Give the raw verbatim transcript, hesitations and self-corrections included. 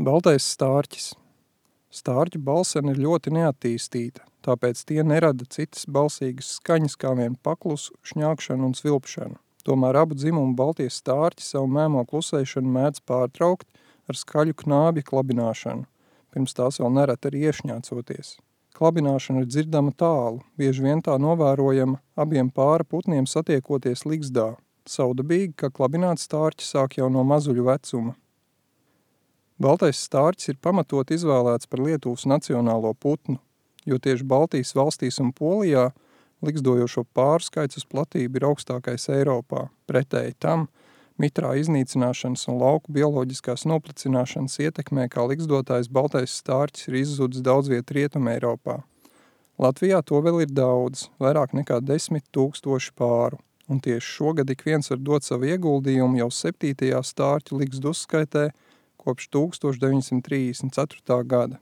Baltais stārķis. Stārķu balsene ir ļoti neattīstīta, tāpēc tie nerada citas balsīgas skaņas kā vien paklusu, šņākšanu un svilpšanu. Tomēr abu dzimumu baltie stārķi savu mēmo klusēšanu mēdz pārtraukt ar skaļu knābja klabināšanu, pirms tās vēl nerad arī iešņācoties. Klabināšana ir dzirdama tālu, bieži vien tā novērojama abiem pāra putniem satiekoties ligzdā. Saudabīgi, ka klabināt stārķi sāk jau no mazuļu vecuma. Baltais stārķis ir pamatot izvēlēts par Lietuvas nacionālo putnu, jo tieši Baltijas valstīs un Polijā ligzdojošo pāru skaits uz platību ir augstākais Eiropā. Pretēji tam, mitrā iznīcināšanas un lauku bioloģiskās noplicināšanas ietekmē, kā ligzdotājs baltais stārķis ir izzudis daudz viet Rietumē Eiropā. Latvijā to vēl ir daudz, vairāk nekā desmit tūkstoši pāru, un tieši šogad ik viens var dot savu ieguldījumu jau septītajā stārķu ligzdu uzskaitē kopš tūkstoš deviņsimt trīsdesmit ceturtā gada.